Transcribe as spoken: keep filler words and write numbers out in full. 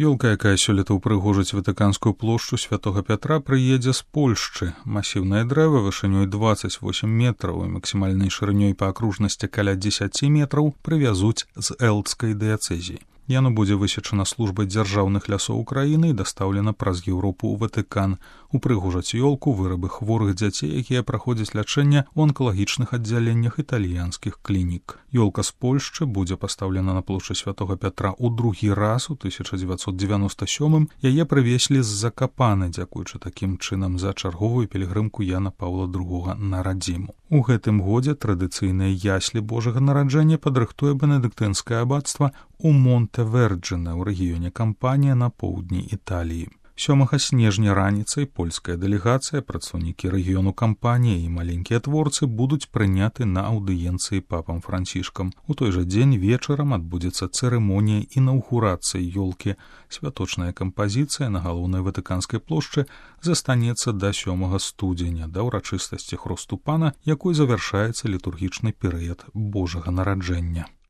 Ёлка, якая сёлета ўпрыгожыць Ватыканскую плошчу Святога Пятра, прыедзе з Польшчы. Масіўнае дрэва вышынёй дваццаць восем метраў і максімальнай шырынёй па акружнасці каля дзесяць метраў прывязуць з Элдскай дыяцэзіі. Яно будзе высечана службай дзяржаўных лясоў Украіны і дастаўлена праз Еўропу ў Ватыкан. Упрыгожаць ёлку вырабы хворых дзяцей, якія праходзяць лячэнне ў онкалагічных аддзяленнях італьянскіх клінік. Ёлка з Польшчы будзе пастаўлена на плошчы Святога Пятра ў другі раз у тысяча дзевяцьсот дзевяноста сёмым. Яе прывезлі з Закапаны, дзякуючы такім чынам за чарговую пілігрымку Яна Паўла другога на радзіму. У гэтым годзе традыцыйныя яслі Божага нараджэння падрыхтуе бенедыктынскае абацтва у Монте-Верджине ў рэгіёне Кампанія на поўдні Італіі. сёмага снежня раніцай польская дэлегацыя, прадстаўнікі рэгіёну Кампанія і маленькія творцы будуць прыняты на аўдыенцыі папам Францішкам. У той жа дзень вечарам адбудзецца цырымонія інаўгурацыі ёлкі. Святочная кампазіцыя на галоўнай Ватыканскай плошчы застанецца да сёмага студзеня, да ўрачыстасці хросту пана, якой завяршаецца літургічны перыяд Божага нараджэння.